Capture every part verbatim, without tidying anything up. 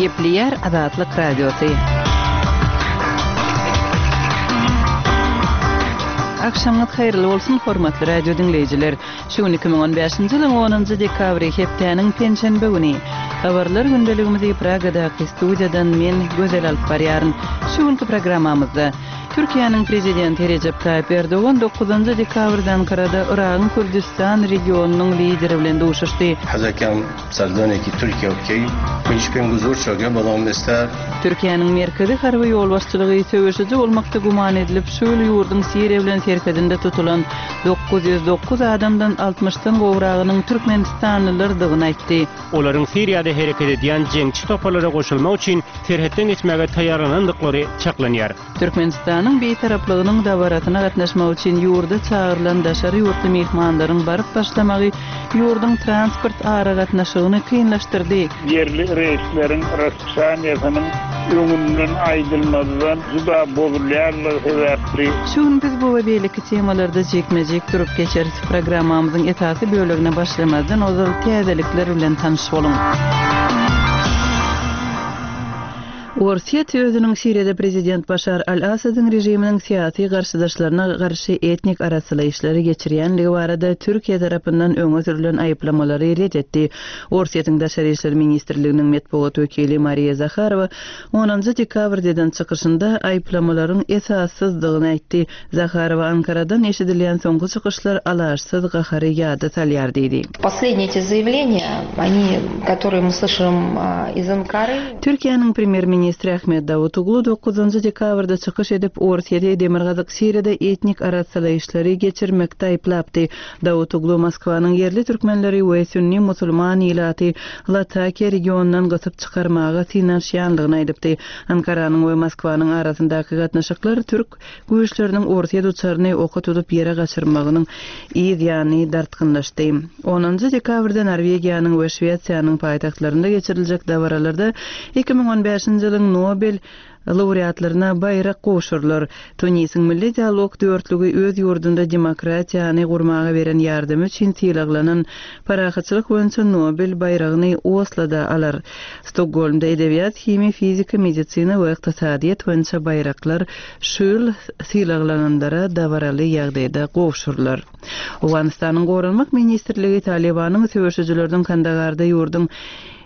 Gepleýär Azatlyk Radiosy. Agşamyňyz haýyrly bolsun, hormatly radio diňleýjiler. Şu gün iki müň on bäşinji ýylyň onunjy dekabry, hepdäniň penşenbe güni. Habarlar gündeligimizi Pragadaky studiýadan men, Gözel alyp barýaryn. Şu günki programmamyzda Türkiýäniň Prezidenti Rejep Taýyp Erdogan dokuzynjy dekabrda Ankarada Yragyň Kürdüstan regionynyň lideri bilen duşuşdy. Hazakan serdoneki Türkiýe okey, men hiç pem guzur çoge, balam ister. Türkiýäniň merkezi harby ýolbaşçylygy söweşiji bolmakda güman edilip, şu ýyl ýurduň Siriýa bilen serhedinde tutulan dokuz ýüz dokuz adamdan altmyşdan gowragynyň türkmenistanlylardygyny aýtdy. Olaryň Siriýada hereket edýän jeňçi toparlara goşulmak üçin serhetden geçmäge taýýarlanandyklary çaklanýar. Türkmenistanyň Bitaraplygynyň dabarasyna gatnaşmak üçin ýurda çagyrylan daşary ýurtly myhmanlaryň baryp başlamagy ýurduň transport aragatnaşygyny kynlaşdyrdy. Ýerli reýsleriň raspisianiýasynyň öňünden aýdylmazdan juda bozulýanlygy sebäpli. Şu gün biz bu we beýleki temalarda jikme-jik durup geçeris. Programmamyzyň esasy bölegine başlamazdan ozal täzelikler bilen tanyş boluň. Orsýet özüniň Siriýada prezident Başar al-Asadyň režiminiň syýasy garşydaşlaryna garşy etnik arassalaýyşlary geçirýänligi barada Türkiýe tarapyndan öňe sürülen aýyplamalary ret etdi. Orsýetiň Daşary işler ministrliginiň metbugat wekili Mariýa Zaharowa onunjy dekabrda eden çykyşynda aýyplamalaryň esassyzdygyny aýtdy. Zaharowa Ankaradan eşidilýän soňky çykyşlar alaçsyz gahary ýada salýar diýdi. Последние эти заявления, они, которые мы слышим, а, из Анкары. Türkiýäniň premýer-ministri Ahmet Davutoglu dokuzynjy dekabrda çykyş edip, Orsýeti Demirgazyk Siriýada etnik arassalaýyşlary geçirmekde aýyplapdy. Davutoglu Moskwanyň ýerli türkmenleri we sünni musulman ilaty Latakiýa regionundan gysyp çykarmaga synanyşýanlygyny aýdypdy. Ankaranyň we Moskwanyň arasyndaky gatnaşyklar türk güýçleriniň Orsýet uçaryny oka tutup ýere gaçyrmagynyň yz ýany dartgynlaşdy. Onunjy dekabrda Norwegiýanyň we Şwesiýanyň paýtagtlarynda geçiriljek dabaralarda iki müň on bäşinji ýylyň Nobel laureatlaryna baýrak gowşurylar. Tunisiň Milli Dialog dörtlügi öz ýurdunda demokratiýany gurmaga beren ýardamy üçin sylaglanan parahatçylyk boýunça Nobel baýragyny Osloda alar. Stokgolmda edebiýat, himiýa, fizika, medisina we ykdysadyýet boýunça baýraklar şu ýyl sylaglananlara dabaraly ýagdaýda gowşurylar. Owganystanyň Goranmak ministrligi Talibanyň söweşijileriniň Kandagarda ýurduň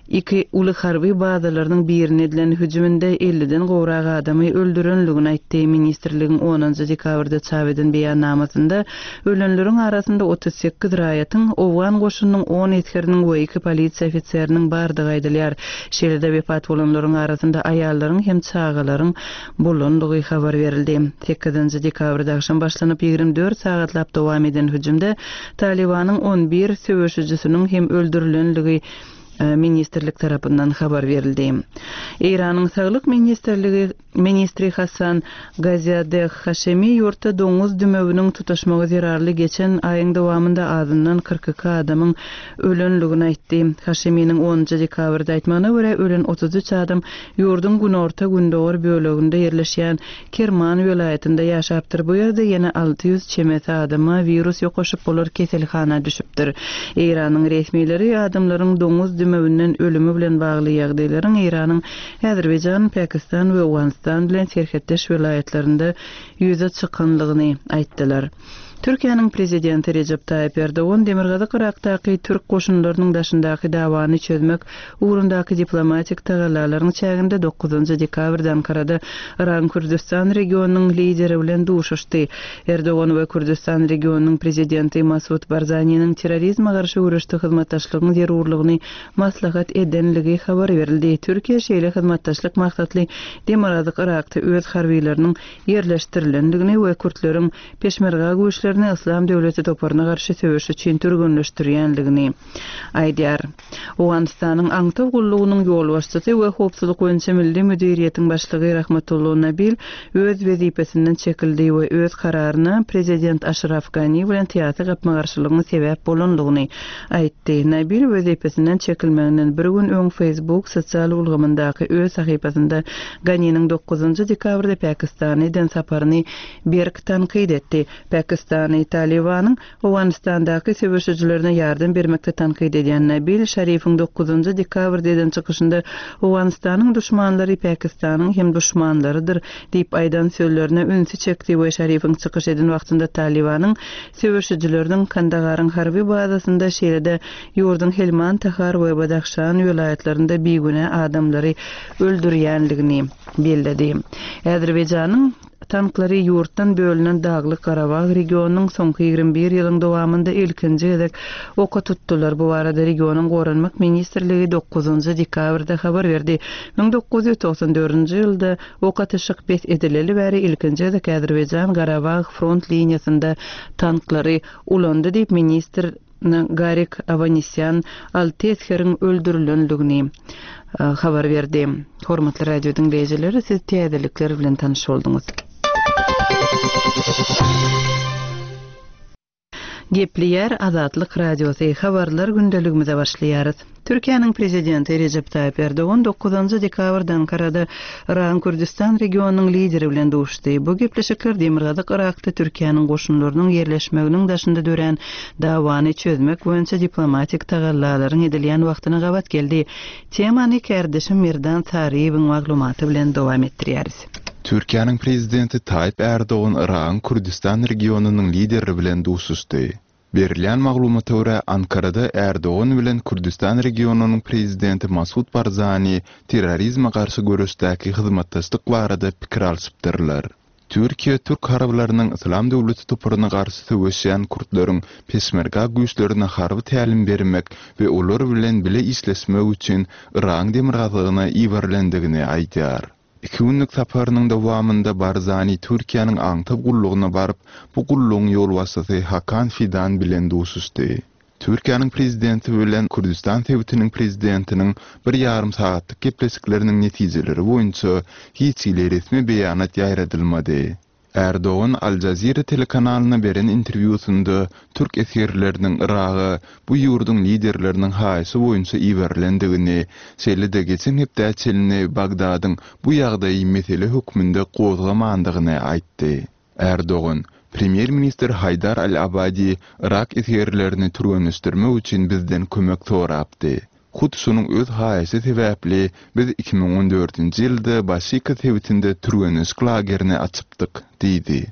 iki uly harby bazalarynyň birine edilen hüjüminde elliden gowrak adamy öldürenligini aýtdy. Ministrligiň onunjy dekabrda çap eden beýannamasynda ölenleriň arasynda otuz sekiz raýatyň, Owgan goşunynyň on esgeriniň we iki polisiýa ofiseriniň bardygy aýdylýar. Şeýle-de wepat bolanlaryň arasynda aýallaryň hem çagalaryň bolandygy habar berildi. Sekizinji dekabrda akşam başlanyp ýigrimi dört sagatlap dowam eden hüjümde Talibanyň on bir söweşijisiniň hem öldürilenligi ministrlik tarapyndan habar berildi. Eýranyň Saglyk ministrligi ministri Hasan Gaziadeh Haşemi ýurtda doňuz dümewiniň tutaşmagy zerarly geçen aýyň dowamynda azyndan kyrk iki adamyň ölenligini aýtdy. Haşeminiň onunjy dekabrda aýtmagyna görä ölen otuz üç adam ýurduň günorta gündogar böleginde ýerleşýän Kerman welaýatynda ýaşapdyr. Bu ýerde ýene alty ýüz çemesi adama wirus ýokaşyp bolar keselhana düşüpdir. Eýranyň resmileri adamlaryň doňuz dümewinden ölümi bilen bagly ýagdaýlaryň Eýranyň Azerbaýjan, Pakistan we Owganystan bilen serhetdeş welaýatlarynda ýüze çykanlygyny aýtdylar. Türkiýäniň prezidenti Rejep Taýyp Erdogan Demirgazyk Irakdaky türk goşunlarynyň daşyndaky dawany çözmek ugrundaky diplomatik tagallalaryň çäginde dokuzynjy dekabrda Ankarada Yragyň Kürdüstan regionynyň lideri bilen duşuşdy. Erdogan we Kürdüstan regionynyň prezidenti Masud Barzaniniň terrorizme garşy göreşde hyzmatdaşlygyň zerurlygyny maslahat edenligi habar berildi. Türkiýe şeýle hyzmatdaşlyk maksatly Demirgazyk Irakda öz harbileriniň ýerleşdirilendigini we kürtleriň peşmerga güýçlerini Islam döwleti toparyna garşy söweş üçin türgenleşdirýänligini aýdýar. Owganystanyň Aňtaw gullugynyň ýolbaşçysy we howpsuzlyk boýunça milli müdiriýetiň başlygy Rahmatullah Nabil öz wezipesinden çekildi we öz kararyna prezident Aşraf Gani bilen syýasy gapma-garşylygyň sebäp bolanlygyny aýtdy. Nabil wezipesinden çekilmeginden bir gün öň Facebook sosial ulgamyndaky öz sahypasynda Ganiniň dokuzynjy dekabrda Pakistana eden saparyny berk tankyt etdi. Pakistan Pakistany Talibanyň Owganystandaky söweşijilerine ýardam bermekde tankyt edýän Nabil Şarifiň dokuzynjy dekabrda eden çykyşynda Owganystanyň duşmanlary Pakistanyň hem duşmanlarydyr diýip aýdan sözlerine ünsi çekdi we Şarifiň çykyş eden wagtynda Talibanyň söweşijileriniň Kandagaryň harby bazasynda şeýle-de ýurduň Helmand, Tahar we Badahşan welaýatlarynda bigünä adamlary öldürýänligini belledi. Azerbaýjanyň tanklary ýurtdan bölünen Daglyk Garabag regionynyň soňky ýigrimi bir ýylyň dowamynda ilkinji gezek oka tutdular. Bu barada regionyň Goranmak ministrligi dokuzynjy dekabrda habar berdi. Müň dokuz ýüz togsan dördünji ýylda ok atyşyk bes edileli bäri ilkinji gezek Azerbaýjan Garabag front liniýasynda tanklary ulandy diýip ministr Garik Avanisyan alty esgeriň öldürilenligini habar berdi. Hormatly radio diňleýjileri, siz täzelikler bilen tanyş bolduňyz. Gepleýär Azatlyk Radiosy habarlar gündeligimize başlaýarys. Türkiýäniň prezidenti Recep Tayyip Erdogan dokuzynjy dekabrda Ankarada Yragyň Kürdistan regionynyň lideri bilen duşdy. Bu gepleşikler Demirgazyk Yrakda Türkiýäniň goşunlarynyň ýerleşmeginiň daşynda dörän dawany çözmek boýunça diplomatik tagallalaryň edilýän wagtyna gabat geldi. Temany kärdeşim Merdan Saryýewiň maglumaty bilen dowam etdirýäris. Türkiýäniň prezidenti Tayyip Erdogan Yragyň Kürdistan regionynyň lideri bilen duşuşdy. Berilýän maglumata görä Ankarada Erdogan bilen Kürdistan regionynyň prezidenti Masud Barzani terrorizme garşy göreşdäki hyzmatdaşlyk barada pikir alşypdyrlar. Türkiýe Türk harbylarynyň Islam döwleti toparyna garşy söweşýän kürtleriň peşmerga güýçlerine harby tälim bermek we olar bilen bile işleşmek üçin Yragyň demirgazygyna iberilendigini aýdýar. Iki günlük saparynyň dowamynda Barzani Türkiýäniň aňtaw gullugyna baryp, bu gullugyň ýolbaşçysy Hakan Fidan bilen duşuşdy. Türkiýäniň prezidenti bilen Kürdistan sebitiniň prezidentiniň bir ýarym sagatlyk gepleşikleriniň netijeleri boýunça hiç hili resmi beýanat ýaýradylmady. Erdogan Al Jazeera telekanalyna beren interwýusynda Türk esgerleriniň Yraga bu ýurduň liderleriniň haýyşy boýunça iberilendigini, şeýle-de geçen hepde çenli Bagdadyň bu ýagdaýy mesele hökmünde gozgamandygyny aýtdy. Erdogan, Premýer-ministr Haýdar Al-Abadi Irak esgerlerini türgenleşdirmek üçin bizden kömek sorapdy. Hut şonuň öz haýyşy sebäpli biz iki müň on dördünji ýylda Başika sebitinde türgenleşik lagerini açypdyk, diýdi.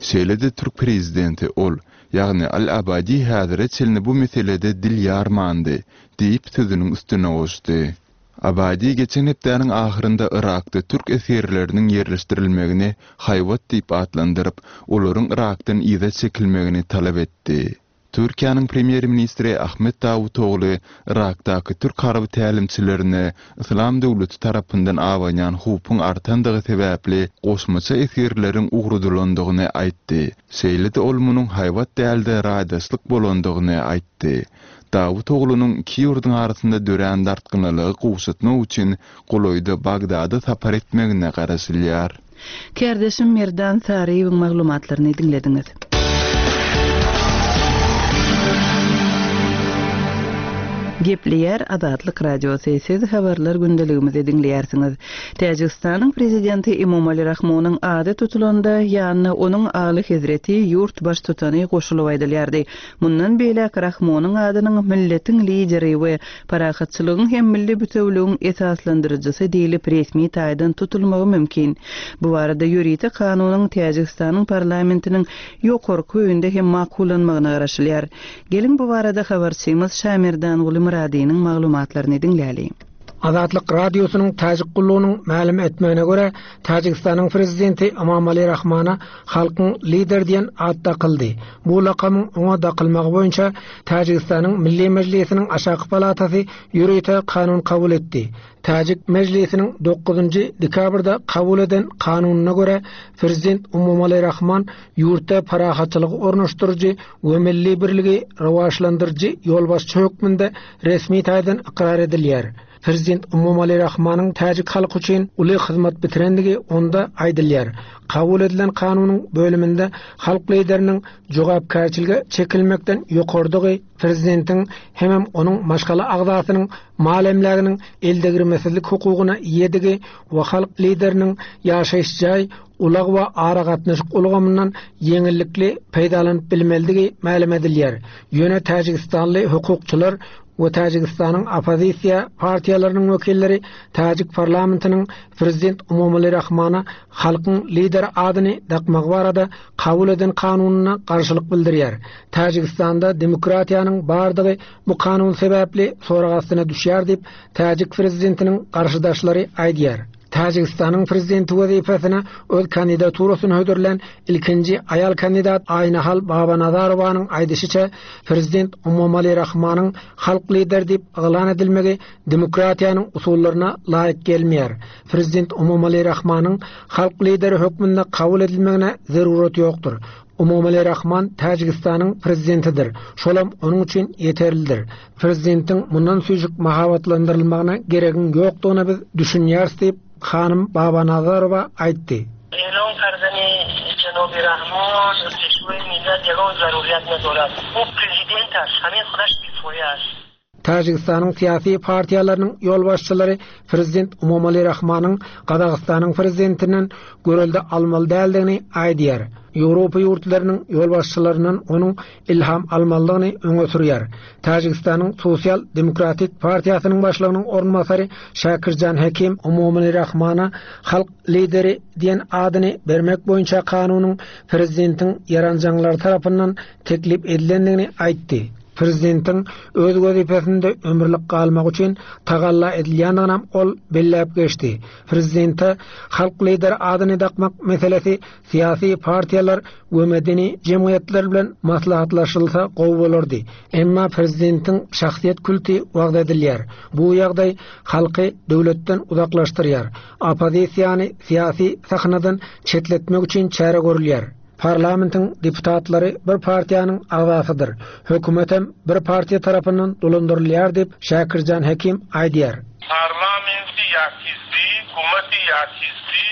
Şeýle-de Türk prezidenti ol, ýagny Al-Abadi häzire çenli bu meselede dil ýarmandy, diýip sözüniň üstüne goşdy. Abadi geçen hepdäniň ahyrynda Irakda Türk esgerleriniň ýerleşdirilmegini haýbat diýip atlandyryp, olaryň Irakdan yza çekilmegini talap etdi. Türkiýäniň premýer-ministri Ahmet Davutoğlu Irakdaky Türk harby tälimçilerine Islam döwleti tarapyndan abanýan howpuň artandygy sebäpli goşmaça esgerleriň ugradylandygyny aýtdy. Şeýle-de ol munuň haýbat dälde raýdaşlyk bolandygyny aýtdy. Davutoğlunyň iki ýurduň arasynda dörän dartgynlygy gowşatmak üçin golaýda Bagdada sapar etmegine garaşylýar. Kärdeşim Merdan Saryýewiň maglumatlaryny diňlediňiz. Gepleýär Azatlyk Radiosy, siz habarlar gündeligimizi diňleýärsiňiz. Täjigistanyň prezidenti Emomali Rahmonyň ady tutulanda ýanyna onuň Aly Hezreti ýurt baştutany goşulyp aýdylýardy. Mundan beýläk Rahmonyň adynyň milletiň lideri we parahatçylygyň hem milli bütewligiň esaslandyryjysy diýlip resmi taýdan tutulmagy mümkin. Bu barada ýörite kanunyň Täjigistanyň parlamentiniň ýokarky öýünde hem makullanmagyna garaşylýar. Geliň bu barada habarçymyz Şamerdan Muradynyň maglumatlaryny diňläli. Azatlyk Radiosynyň Täjik gullugynyň mälim etmegine görä, Täjigistanyň prezidenti Emomali Rahmana halkyň lider diýen ad dakyldy. Bu lakamyň oňa dakylmagy boýunça Täjigistanyň Milli Mejlisiniň aşaky palatasy ýörite kanun kabul etdi. Täjik Mejlisiniň dokuzynjy dekabrda kabul eden kanunyna görä, prezident Emomali Rahman ýurtda parahatçylygy ornaşdyryjy we milli birligi rowaçlandyryjy ýolbaşçy hökmünde resmi taýdan ykrar edilýär. Prezident Emomali Rahmanyň täjik halky üçin uly hyzmat bitirendigi onda aýdylýar. Kabul edilen kanunyň bölüminde halk lideriniň jogapkärçilige çekilmekden ýokardygy, Prezidentiň hemem onuň maşgala agzasynyň mal emläginiň eldegirmesizlik hukugyna eýedigi we halk lideriniň ýaşaýyş jaý, ulag we aragatnaşyk ulgamyndan ýeňillikli peýdalanyp bilmelidigi mälim edilýär. Ýöne Täjigistanly hukukçylar we Täjigistanyň oppozisiýa partiýalarynyň wekilleri Täjik parlamentiniň prezident Emomali Rahmana halkyň lideri adyny dakmak barada kabul eden kanunyna garşylyk bildirýär. Täjigistanda demokratiýanyň bardygy bu kanun sebäpli sorag astyna düşýär diýip Täjik prezidentiniň garşydaşlary aýdýar. Täjigistanyň prezidenti wezipesine öz kandidaturasyny hödürlän ilkinji aýal kandidat Aýnahal Babanazarowanyň aýdyşyça prezident Emomali Rahmanyň halk lideri diýip yglan edilmegi demokratiýanyň usullaryna laýyk gelmeýär. Prezident Emomali Rahmanyň halk lideri hökmünde kabul edilmegine zarurat ýokdur. Emomali Rahman Täjigistanyň prezidentidir. Şolam onuň üçin ýeterlidir. Prezidentiň mundan süýjük mahabatlandyrylmagyna geregiň ýokdugyna biz düşünýäris diýip Hanym Babanazarowa aýtdy. اعلام کردن جناب رحمان پیشوای ملت یگان ضروریت ندارد. او پرزیدنت است، همین خودش کفایه است. Täjigistanyň syýasy partiýalarynyň ýolbaşçylary prezident Emomali Rahmanyň Gazagystanyň prezidentinden görelde almaly däldigini aýdýar. Ýewropa ýurtlarynyň ýolbaşçylarynyň onuň ilham almalydygyny öňe sürýär. Täjigistanyň Sosial Demokratik partiýasynyň başlygynyň orunbasary Şakirjan Hekim Emomali Rahmana halk lideri diýen adyny bermek boýunça kanunyň prezidentiň ýaranjaňlary tarapyndan teklip edilendigini aýtdy. Prezidentiň öz wezipesinde ömürlik galmak üçin tagalla edilýändigini ol belläp geçdi. Prezidente halk lideri adyny dakmak meselesi syýasy partiýalar we medeni jemgyýetler bilen maslahatlaşylsa gowy bolardy. Emma prezidentiň şahsyýet kulty wagz edilýär. Bu ýagdaý halky döwletden uzaklaşdyrýar. Oppozisiýany syýasy sahnadan çetletmek üçin çäre görülýär. Parlamentiň deputatlary bir partiýanyň agzasydyr. Hökümetem bir partiýa tarapyndan dolandyrylýar diýip Şakirjan Hekim aýdýar. Parlamenti ýakizdi, hukumeti ýakizdi,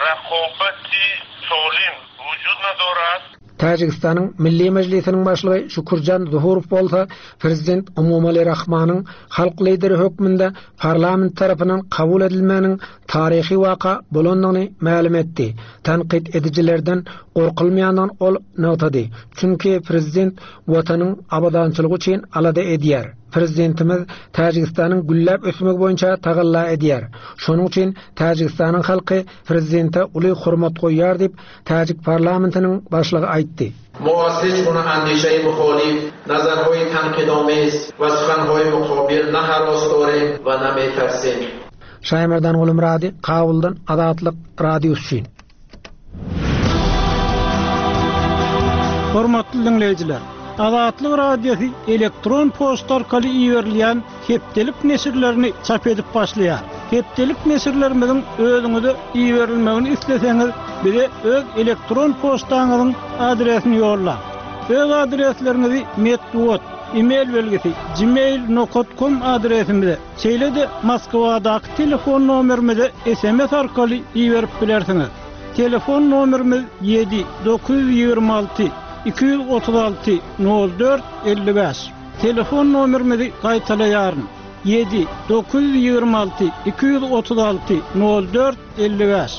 raqobati solim wujud nadorad. Täjigistanyň Milli Mejlisiniň başlygy Şukurjan Zuhurow bolsa prezident Emomali Rahmanyň halk lideri hökmünde parlament tarapyndan kabul edilmeginiň taryhy waka bolandygyny mälim etdi. Tanqid edijilerden gorkulmaýandygyny ol nygtady. Çünki prezident watanyň abadançylygy üçin alada edýär. Prezidentimiz Täjigistanyň gülläp ösmegi boýunça tagalla edýär. Şonuň üçin Täjigistanyň halky prezidente uly hurmat goýýar diýip Täjik parlamentiniň başlygy aýtdy. ما از هیچ گونه اندیشه مخالف، نظرهای تنقیدآمیز و سخنهای مقابل نه هراس داریم و نه می‌ترسیم. Şaýmerdan Gulmurady, Kabuldan Azatlyk Radiosy üçin. Hormatly dinleýjiler, Azatlyk Radiosy elektron poçta arkaly iberilýän hepdelik neşirlerini çap edip başlaýar. Hepdelik neşirlerimiziň özüňize iberilmegini isleseňiz, bize öz elektron poçtaňyzyň adresini ýollaň. Öz adresleriňizi metbugat, e-mail belgisi gmail nokta com adresimize, şeýle-de Moskwadaky telefon nomerimize S M S arkaly iberip bilersiňiz. Telefon nomerimiz ýedi dokuz ýüz ýigrimi alty iki ýüz otuz alty nol dört elli bäş. Telefon nomerimizi gaýtalaýaryn. Ýedi dokuz ýüz ýigrimi alty iki ýüz otuz alty nol dört elli bäş.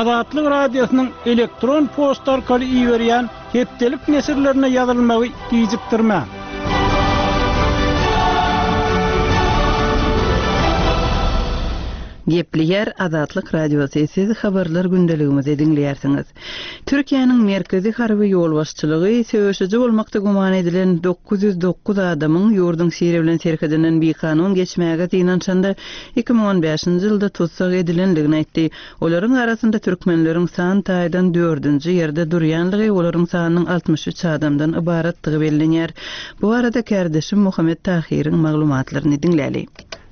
Azatlyk Radiosynyň elektron poçta arkaly iberýän hepdelik neşirlerine ýazylmagy gijikdirmäň. Gepleýär Azatlyk Radiosy, siz habarlar gündeligimizi diňleýärsiňiz. Türkiýäniň merkezi harby ýolbaşçylygy söweşiji bolmakda güman edilen dokuz ýüz dokuz adamyň ýurduň Siriýa bilen serhedinden bikanun geçmäge synanyşanda iki müň on bäşinji ýylda tussag edilendigini aýtdy. Olaryň arasynda türkmenleriň san taýdan dördünji ýerde durýanlygy, olaryň sanynyň altmyş üç adamdan ybaratdygy bellenýär. Bu arada kardeşim Muhammet Tahiriň maglumatlaryny diňläli.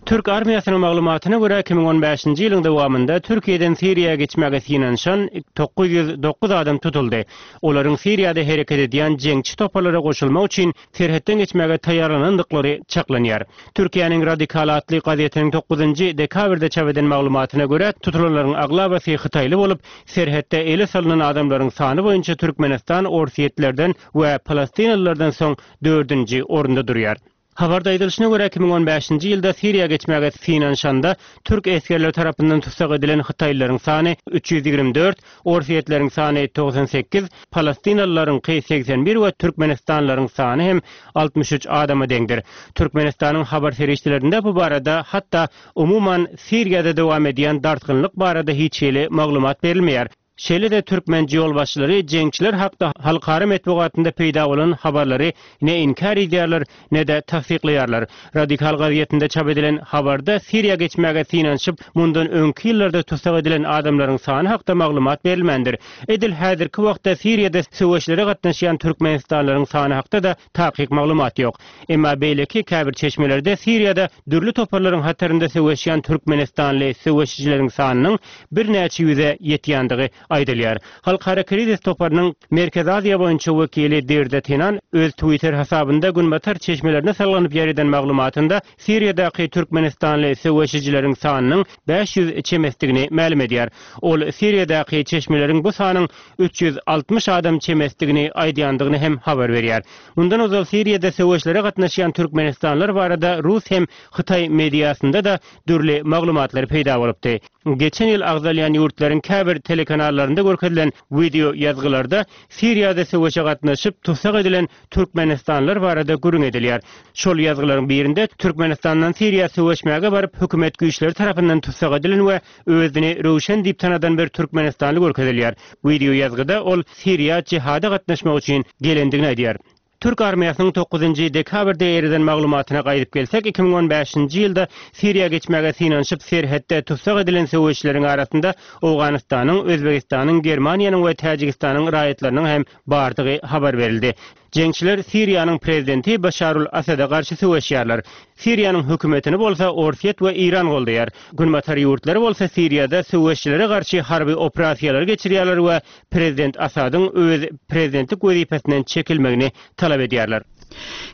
Türk armiýasynyň maglumatyna görä iki müň on bäşinji ýylyň dowamynda Türkiýeden Siriýa geçmäge synanyşan dokuz ýüz dokuz adam tutuldy. Olaryň Siriýada hereket edýän jeňçi toparlara goşulmak üçin serhetden geçmäge taýýarlanandyklary çaklanýar. Türkiýäniň Radikal atly gazetiniň dokuzynjy dekabrda çap eden maglumatyna görä, tutulanlaryň aglabasy hytaýly bolup, serhetde ele salynan adamlaryň sany boýunça Türkmenistan orsýetlerden we palestinalylardan soň dördünji orunda durýar. Habarda aýdylyşyna görä, iki müň on bäşinji ýylda Siriýa geçmäge synanyşanda türk esgerleri tarapyndan tussag edilen hytaýlylaryň sany üç ýüz ýigrimi dört, orsýetleriň sany togsan sekiz, palestinalylaryňky segsen bir we türkmenistanlylaryň sany hem altmyş üç adama deňdir. Türkmenistanyň habar serişdelerinde bu barada, hatda umuman Siriýada dowam edýän dartgynlyk barada hiç hili maglumat berilmeýär. Şeýle-de türkmen ýolbaşçylary jeňçiler hakda halkara metbugatynda peýda bolan habarlary ne inkär edýärler, ne-de tassyklaýarlar. Radikal gazetinde çap edilen habarda Siriýa geçmäge synanyşyp, mundan öňki ýyllarda tussag edilen adamlaryň sany hakda maglumat berilmändir. Edil häzirki wagtda Siriýada söweşlere gatnaşýan türkmenistanlylaryň sany hakda-da takyk maglumat ýok. Emma beýleki käbir çeşmelerde Siriýada dürli toparlaryň hatarynda söweşýän türkmenistanly söweşijileriň sanynyň birnäçe ýüze ýetýändigi aýdylýar. Halkara krizis toparynyň Merkezi Aziýa boýunça wekili Dirde Tenan öz Twitter hasabynda günbatar çeşmelerine salganyp ýereden maglumatynda Siriýadaky türkmenistanly söweşijileriň sanynyň bäş ýüz çemesdigini mälim edýär. Ol Siriýadaky çeşmeleriň bu sanyň üç ýüz altmyş adam çemesdigini aýdýandygyny hem habar berýär. Mundan ozal Siriýada söweşlere gatnaşýan türkmenistanlylar barada Rus hem Hytaý mediasynda da dürli maglumatlar peýda bolupdy. Geçen ýyl agzalýan ýurtlaryň käbir telekanallarynda görkezilen video ýazgylarda Siriýada söweşe gatnaşyp tussag edilen türkmenistanlylar barada gürrüň edilýär. Şol ýazgylaryň birinde Türkmenistandan Siriýa söweşmäge baryp hökümet güýçleri tarapyndan tussag edilen we özüni Röwşen diýip tanadan bir türkmenistanly görkezilýär. Video ýazgyda ol Siriýa jihada gatnaşmak üçin gelendigini aýdýar. Türk armiýasynyň dokuzynjy dekabrda eriden maglumatyna gaýdyp gelsek, iki müň on bäşinji ýylda Siriýa geçmäge synanyşyp serhetde tussag edilen söweşleriň arasynda Owganystanyň, Özbegistanyň, Germaniýanyň we Täjigistanyň raýatlarynyň hem bardygy habar berildi. Jeňçiler Siriýanyň prezidenti Başarul Asada garşy söweşýärler. Siriýanyň hökümetini bolsa Orsýet we Iran goldaýar. Günbatar ýurtlary bolsa Siriýada söweşçilere garşy harby operasiýalary geçirýärler we prezident Asadyň öz prezidentlik wezipesinden çekilmegini talap edýärler.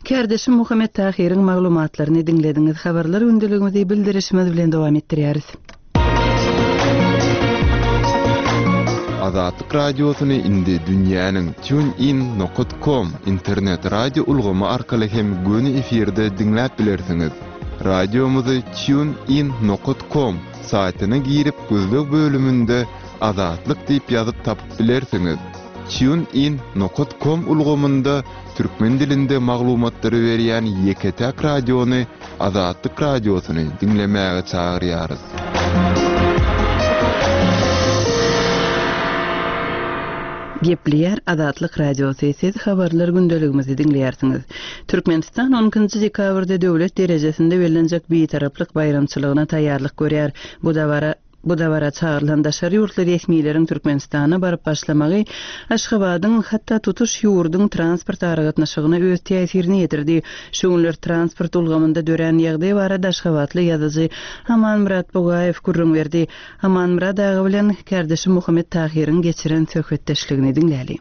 Kardeşim Muhammet Tahiriň maglumatlaryny diňlediňiz. Habarlar gündeligimizi bildirişimiz bilen dowam etdirýäris. Azatlyk radiosyny indi dünýäniň tunein nokta com internet radio ulgamy arkaly hem göni efirde diňläp bilersiňiz. Radiomyzy tunein nokta com saýtyna girip gözleg bölüminde Azatlyk diýip ýazyp tapyp bilersiňiz. Tunein nokta com ulgamynda türkmen dilinde maglumatlary berýän ýeke-täk radiony Azatlyk radiosyny diňlemäge çagyrýarys. Gepleýär Azatlyk radiosy, siz habarlar gündeligimizi diňleýärsiňiz. Türkmenistan on ikinji dekabrda döwlet derejesinde bellenjek bitaraplyk baýramçylygyna taýýarlyk görýär. Bu dabara Bu dabara çagyrylan daşary ýurtly resmileriň Türkmenistana baryp başlamagy Aşgabadyň hatda tutuş ýurduň transport aragatnaşygyna öz täsirini ýetirdi. Şu günler transport ulgamynda dörän ýagdaý barada Aşgabatly ýazyjy Amanmyrat Bugaýew gürrüň berdi. Amanmyrat aga bilen kardeşi Muhammet Tahiriň geçiren söhbetdeşligini diňläli.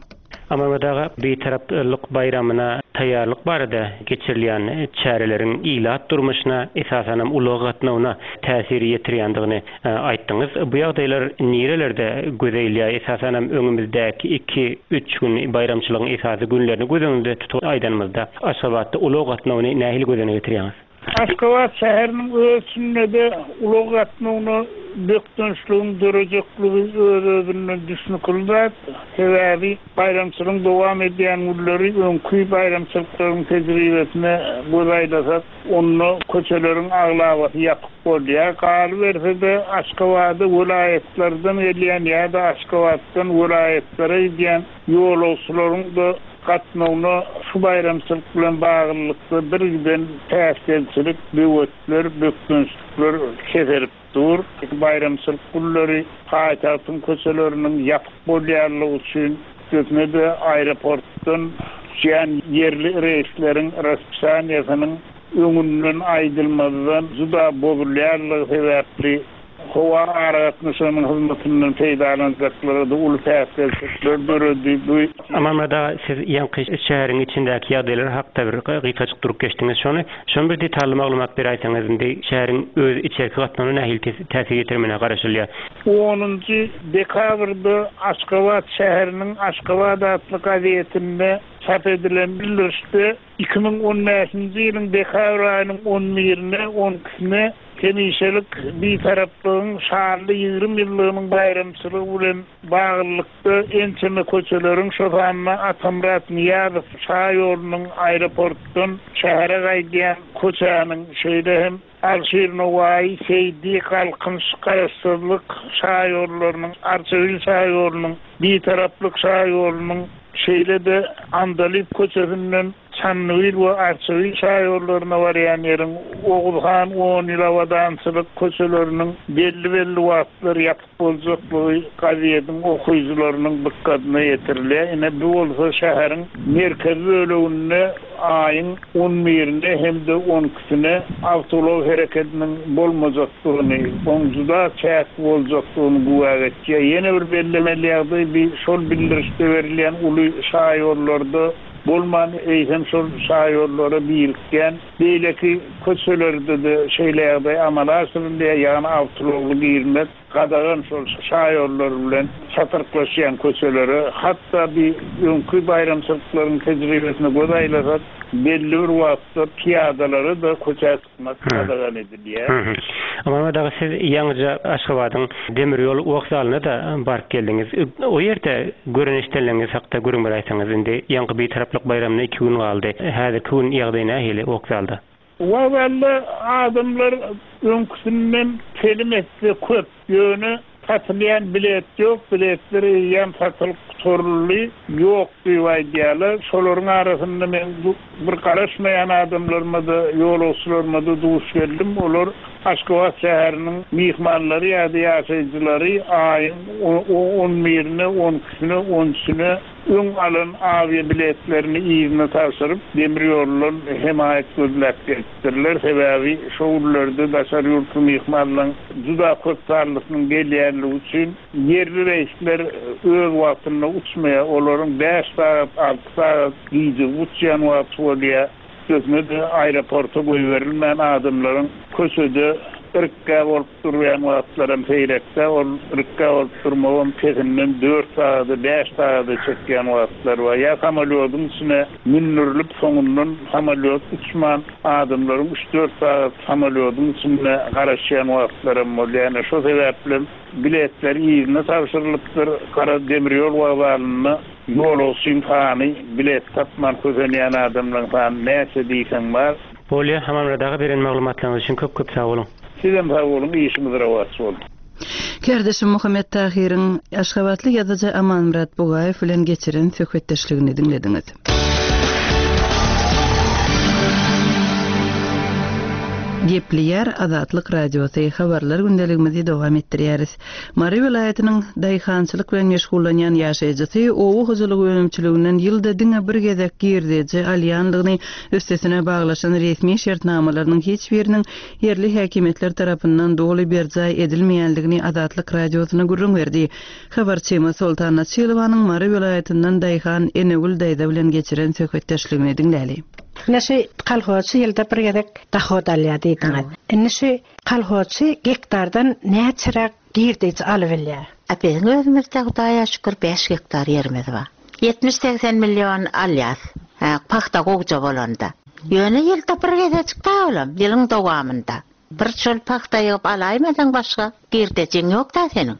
Amanmyrat aga, bitaraplyk baýramyna taýýarlyk barada geçirilýän çäreleriň ilat durmuşyna, esasanam ulag gatnawyna täsir ýetirýändigini, e, aýtdyňyz. Bu ýagdaýlar nirelerde göze ilýär? Esasanam öňümizdäki iki, üç gün baýramçylygyň esasy günlerini göz öňünde tutup aýdanymyzda Aşgabatda ulag gatnawyny nähili göz öňüne getirýäňiz? Aşgabat şäheriniň öz içinde ulag gatnawyna bökdençligiň dörejekligi öz-özünden düşnükli zat. Sebäbi baýramçylygyň dowam edýän günleri öňki baýramçylyklaryň tejribesine göz aýlasak, onda köçeleriň aglabasy ýapyk bolýar. Galyberse-de Aşgabada welaýatlardan gelýän ýa-da Aşgabatdan welaýatlara gidýän ýolagçylaryň da gatnawyna şu baýramçylyk bilen baglylykda bir giden päsgelçilik, böwetler, bökdençlikler keserip dur. Baýramçylyk günleri paýtagtyň köçeleriniň ýapyk bolýanlygy üçin üstesine-de aeroportdan düşýän ýerli reýsleriň raspisianiýasynyň öňünden aýdylmazdan juda bozulýanlygy sebäpli howa aragatnaşygynyň hyzmatyndan peýdalanjaklara-da uly päsgelçilikler döredi. Bu Amanmyrat aga, siz ýaňky şäheriň içindäki ýagdaýlar hakda bir gysgajyk durup geçdiňiz. Şony, şony bir detally maglumat beräýseňiz, indi şäheriň öz içerki gatnawyna nähili täsir ýetirmegine garaşylýar? Onunjy dekabrda Aşgabat şäheriniň Aşgabat atly gazetinde çap edilen bildirişde iki müň on bäşinji ýylyň dekabr aýynyň on birine, on ikisine hemişelik Bitaraplygyň şanly ýigrimi ýyllygynyň baýramçylygy bilen baglylykda ençeme köçeleriň, şo sanda Atamyrat Nyýazow şaýolunyň aeroportdan şähere gaýdýan köçäniň, şeýle hem Alşir Nowaýy, Seýdi, Galkynyş, Garaşsyzlyk şaýollarynyň, Arçabil şaýolunyň, Bitaraplyk şaýolunyň, şeýle-de Andalyp köçesinden Çandybil we Arçabil şaýollaryna barýan ýeriň, Oguzhan on ýyl abadançylyk köçeleriniň belli-belli wagtlar ýapyk boljaklygy gazetiň okyjylarynyň dykgatyna ýetirilýär. Ine bu bolsa şäheriň merkezi böleginde aýyň on birine hem-de on ikisine awtoulag hereketiniň bolmajakdygyny, oň juda çäkli boljakdygyny güwä geçýär. Ýene bir bellemeli ýagdaý bir şol bildirişde berilýän uly şaýollarda bolman eýsem şol şaýollara birikýän beýleki köçelerde-de şeýle ýagdaý amala aşyrylýar, ýagny awtoulagly girmek gadagan şol şaýollar bilen çatyrklaşýan köçelere, hatda bir öňki baýramçylyklaryň tejribesine göz aýlasak, belli bir wagtda piýadalara da köçä çykmak gadagan edilýär. Amanmyrat aga, siz ýaňyja Aşgabadyň demir ýol wokzalyna da baryp geldiňiz. O ýerde gören eşdenleriňiz hakda gürrüň beräýseňiz, indi ýaňky Bitaraplyk baýramyna iki gün galdy. Häzirki gün ýagdaý nähili wokzalda? Wokzalda adamlar öňküsinden telim etse köp, ýöne satylýan bilet ýok, biletler eýýäm satylyp gutaryldy, ýok diýip aýdýarlar. Şolaryň arasynda men bir garaşmaýan adamlaryma-da, ýolagçylaryma-da duş geldim. Olar Aşgabat şäheriniň myhmanlary ýa-da ýaşaýjylary aýyň on birine, on ikisine, on üçüne öň alan awiýa biletlerini yzyna tabşyryp, demir ýoldan hemaýat gözläp gelipdirler. Sebäbi şo günlerde daşary ýurtly myhmanlaryň juda köp sanlysynyň gelýänligi üçin ýerli reýsler öz wagtynda uçmaýar. Olaryň bäş sagat, alty sagat gijä uçýan wagty bolýar. Üstesine-de aeroporta goýberilmän adamlaryň köçede irkgä bolup durýan wagtlaram seýrekde, ol irkgä bolup durmagam pesinden dört sagada, bäş sagada çekýän wagtlar bar. Ýa samolýodyň içine mündürilip, soňundan samolýot uçman adamlaryň üç-dört sagat samolýodyň içinde garaşýan wagtlaram bolýar. Ýani şo sebäpli biletler yzyna tabşyrylypdyr. Gara demir ýol wokzalynda ýolagçyň sany, bilet tapman kösenýän adamlaryň sany näçe diýseň bar. Bolýar, Amanmyrat aga, beren maglumatlaryňyz üçin köp-köp sag boluň. Sizem sag boluň, işiňiz rowaç bolsun. Kärdeşim Muhammet Tahyryň Aşgabatly ýazyjy Amanmyrat Bugaýew bilen geçiren söhbetdeşligini diňlediňiz. Gepleýär Azatlyk Radiosy habarlar gündeligimizi dowam etdirýäris. Mary welaýatynyň daýhançylyk bilen meşgullanýan ýaşaýjysy oba hojalygy önümçiliginden ýylda diňe bir gezek girdeji alýanlygyny üstesine baglaşan resmi şertnamalarynyň hiç biriniň ýerli häkimiýetler tarapyndan doly berjaý edilmeýänligini Azatlyk Radiosyna gürrüň berdi. Habarçymyz Soltan Naçylowanyň Mary welaýatyndan daýhan Enegül daýza bilen geçiren söhbetdeşligini diňläli. Ine şu kolhozçy ýylda bir gezek dahod alýar diýdiňiz. Ine şu kolhozçy gektardan näçeräk girdeji alyp bilýär? A biziň özümizde Hudaýa şükür bäş gektar ýerimiz bar. Ýetmiş-segsen milyon alýas. Ha, pagta gowja bolanda. Ýöne ýylda bir gezek da olam, ýylyň dowamynda. Bir çöl pagta ýygyp alaýmasaň başga girdejiň ýok da seniň.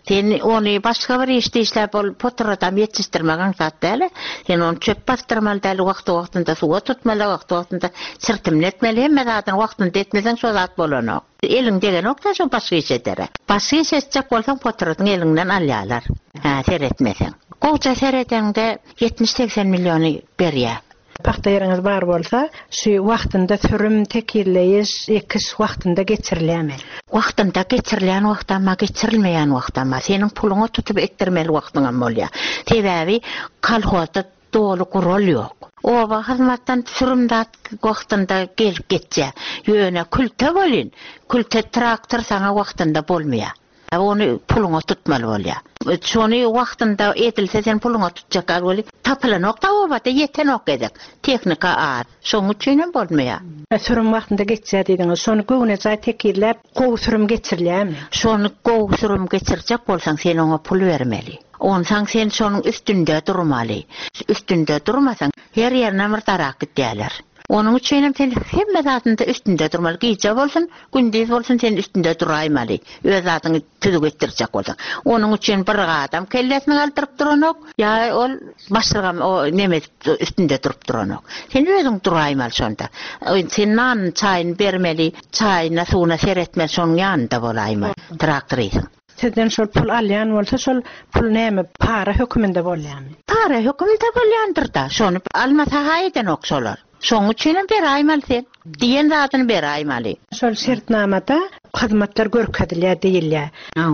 Sen ony başga bir işde işläp ol poturadan ýetişdirmek aňsat däl. Sen ony çöp bastyrmaly däl, wagty wagtynda suwa tutmaly, wagty wagtynda çirtimletmeli, hemme zadyny wagtynda etmeseň şo zat bolanok. Eliň degenok da şo başga iş edere. Başga iş etjek bolsaň poturadyň eliňden alýarlar. Ha, seretmeseň. Gowja seredeňde ýetmiş-segsen milyony berýär. Pagta ýeriňiz bar bolsa, şu wagtynda sürüm, tekirleýiş, ekiş wagtynda geçirilýärmi? Wagtynda geçirilýän wagtda amma geçirilmeýän wagtda amma seniň puluňa tutup etdirmeli wagtyň hem bolýar. Sebäbi kolhozda Doly gural ýok. Oba hyzmatdan sürüm zat wagtynda gelip geçýär. Ýöne külte welin, külte traktor saňa wagtynda bolmaýar. Ony puluňa tutmaly bolýar. Şony wagtynda edilse sen puluňa tutjak gal weli tapylanok-da obada ýetenok gezek. Tehnika az. Şonuň üçinem bolmaýar. Sürüm wagtynda geçýär diýdiňiz. Şony göwnejaý tekizläp gowy sürüm geçirilýärmi? Şony gowy sürüm geçirjek bolsaň sen oňa pul bermeli. Onsaň sen şonuň üstünde durmaly. Üstünde durmasaň her ýerine bir darak gidýärler. Onuň üçinem sen hemme zadynda üstünde durmaly. Gije bolsun, gündiz bolsun sen üstünde duraýmaly. Öz zadyňy tüzük etdirjek bolsaň. Onuň üçin bir adam kellesini galdyryp duranok, ýa ol başlygam o neme edip üstünde durup duranok. Sen özüň duraýmaly şonda. Sen nanyny, çaýyny bermeli, çaýyna, suwuna seretmeli, şonuň ýanynda bolaýmaly traktorysyň. Sizden şol pul alýan bolsa, şol pul näme, para höküminde bolýarmy? Para höküminde bolýandyr-da. Şony almasa-ha edenok şolar. Şonuň üçinem beraýmaly sen. Diýen zadyny beraýmaly. Şol şertnamada hyzmatlar görkezilýär diýilýär.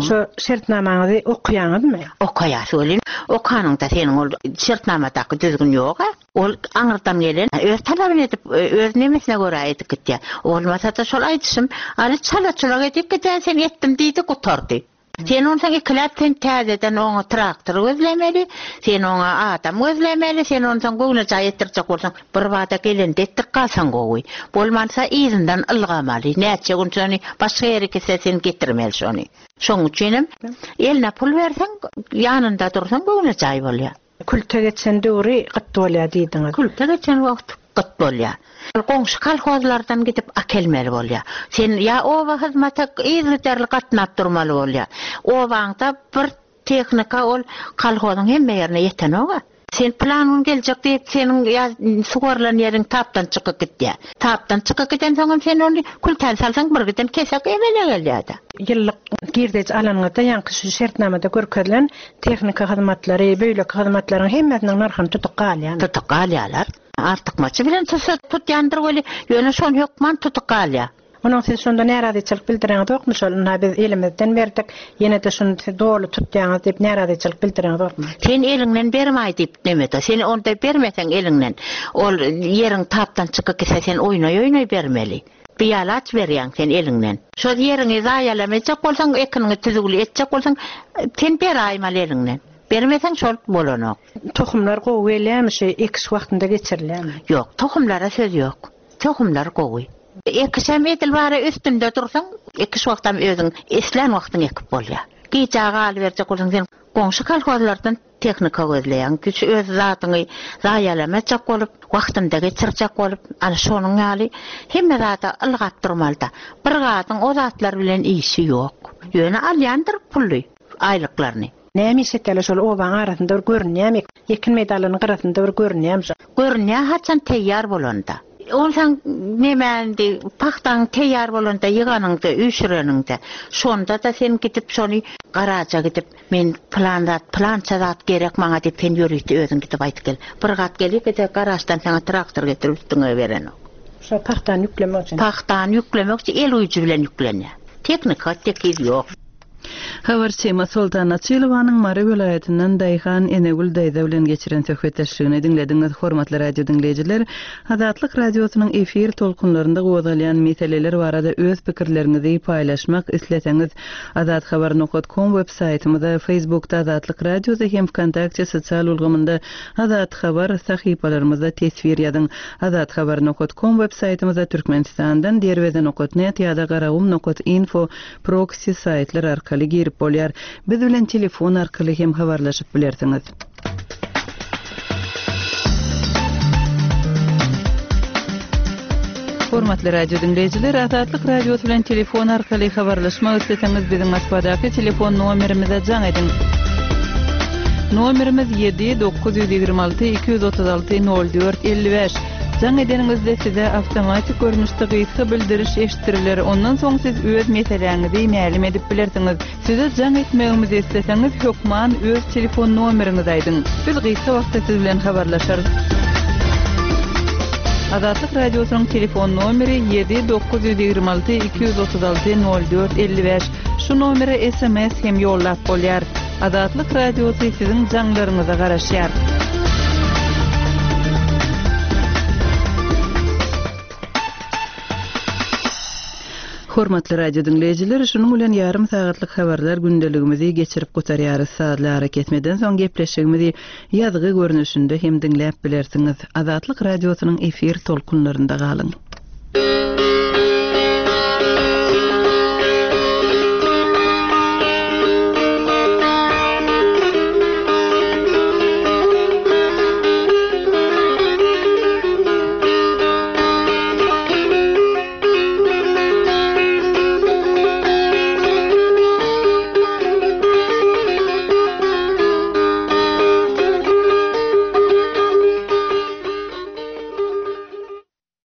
Şo şertnamaňyzy okaýaňyzmy? Okaýas welin, okanyňda seniň ol şertnamadaky düzgün ýog-a. Ol aňyrdan gelen öz talabyny edip, öz nemesine görä edip gitýär. Bolmasa-da şol aýdyşym, aly çala-çulak edip gidýär, sen etdim diýdi, gutardy. Sen onsoň ikiläp sen täzeden oňa traktor gözlemeli, sen oňa adam gözlemeli, sen onsoň göwnejaý etdirjek bolsaň, birbada gelende etdirip galsaň gowy. Bolmansa yzyndan ylgamaly, näçe gün şony başga ýere gitse sen getirmeli şony. Şoň üçinem eline pul berseň, ýanynda dursaň göwnejaý bolýar. Külte geçen döwri gyt bolýar diýdiňiz. Külte geçen wagt gyt bolýar. Goňşy kolhozlardan gidip akelmeli bolýar. Sen ýa oba hyzmata yzygiderli gatnap durmaly bolýar. Obaňda bir tehnika ol kolhozyň hemme ýerine ýetenok-a. Sen pylan gün geljek diýip, seniň ýa suwarylan ýeriň tapdan çykyp gidýär. Tapdan çykyp gidensoňam sen ony kültäni salsaň bir giden kesek emele gelýär-de. Ýyllyk girdeji alanyňyzda ýaňky şu şertnamada görkezilen tehnika hyzmatlary, beýleki hyzmatlaryň hemmesiniň nyrhyny tutup galýar. Tutup galýarlar. Artykmaçy bilen tutsa tutýandyr weli, ýöne şony hökman tutup galýar. Onuň siz şonda närazyçylyk bildireňizokmy şol, ynha biz elimizden berdik, ýene-de şuny siz doly tutýaňyz diýip närazyçylyk bildireňizokmy? Sen eliňden bermaý diýip nemede, sen onda bermeseň eliňden, ol ýeriň tapdan çykyp gitse sen oýnaý-oýnaý bermeli. Bialaç berýäň sen eliňden. Şol ýeriňi zaýalamajak bolsaň, ekiniňi tüzügli etjek bolsaň, sen beraýmaly eliňden. Bermeseň şol bolanok. Tohumlar gowy gelýärmi, şu ekiş wagtynda geçirilýärmi? Ýok, tohumlara söz ýok. Tohumlar gowy. Ekişem edil bara üstünde dursaň, ekiş wagtam özüň islän wagtyň ekip bolýar. Gijä galyberjek bolsaň sen goňşy kolhozlardan tehnika gözleýäň. Güç öz zadyňy zaýalamajak bolup, wagtynda geçirjek bolup, ana şonuň ýaly hemme zada ylgap durmaly-da. Bir gadyň o zatlar bilen işi ýok. Ýöne alýandyr pully, aýlyklaryny. Näme iş etýärler şol obaň arasynda bir görünýärmi? Ekin meýdanlarynyň gyrasynda bir görünýärmi şo? Görünýär haçan teýýar bolanda. Onsoň näme indi pagtaň teýýar bolanda ýyganyňda, üýşüreniňde, şonda-da sen gidip şony garaja gidip, men pylan zat, pylança zat gerek maňa diýip sen ýörite özüň gidip aýdyp gel. Bir gat gelip-de garaždan saňa traktor getirip üstüňe berenok. Şo pagtany ýüklemek üçin. Pagtany ýüklemek üçin el uýjy bilen ýüklenýär. Tehnika tekiz ýok. Habarçymyz Soltan Açylowanyň Mary welaýatyndan Daýhan Enegül daýza bilen geçiren söhbetdeşligini diňlediňiz. Hormatly radio diňleýjiler, Azatlyk radiosynyň efir tolkunlarynda gozgalýan meseleler barada öz pikirleriňizi paýlaşmak isleseňiz, azathabar nokta com web saýtymyza, Facebookda Azatlyk radiosy hem Vkontakte sosial ulgamynda Azat Habar sahypalarymyzda teswir ýazyň. Azathabar nokta com web saýtymyzda Türkmenistandan derweze nokta net ýa-da garagum nokta info proxy saýtlar arkaly girip bolýar. Biz bilen telefon arkaly hem habarlaşyp bilersiňiz. Hormatly radio dinleýjiler, Azatlyk radiosy bilen telefon arkaly habarlaşmak isleseňiz biziň Moskwadaky telefon nomerimize jaň ediň. Nomerimiz ýedi dokuz ýüz ýigrimi alty iki ýüz otuz alty nol dört elli bäş. Jaň edeniňizde size awtomatik görnüşde gysga bildiriş eşitdiriler. Ondan soň siz öz meseläňizi mälim edip bilersiňiz. Size jaň etmegimizi isleseňiz hökman öz telefon nomeriňizi aýdyň. Biz gysga wagtda siz bilen habarlaşarys. Azatlyk radiosynyň telefon nomeri ýedi dokuz ýüz ýigrimi alty iki ýüz otuz alty nol dört elli bäş. Şu nomere S M S hem ýollap bolýar. Azatlyk radiosy siziň jaňlaryňyza garaşýar. Hormatly radio diňleýjiler, şunuň bilen ýarym sagatlyk habarlar gündeligimizi geçirip gutarýarys. Sazly arakesmeden soň gepleşigimizi ýazgy görnüşinde hem diňläp bilersiňiz. Azatlyk radiosynyň efir tolkunlarynda galyň.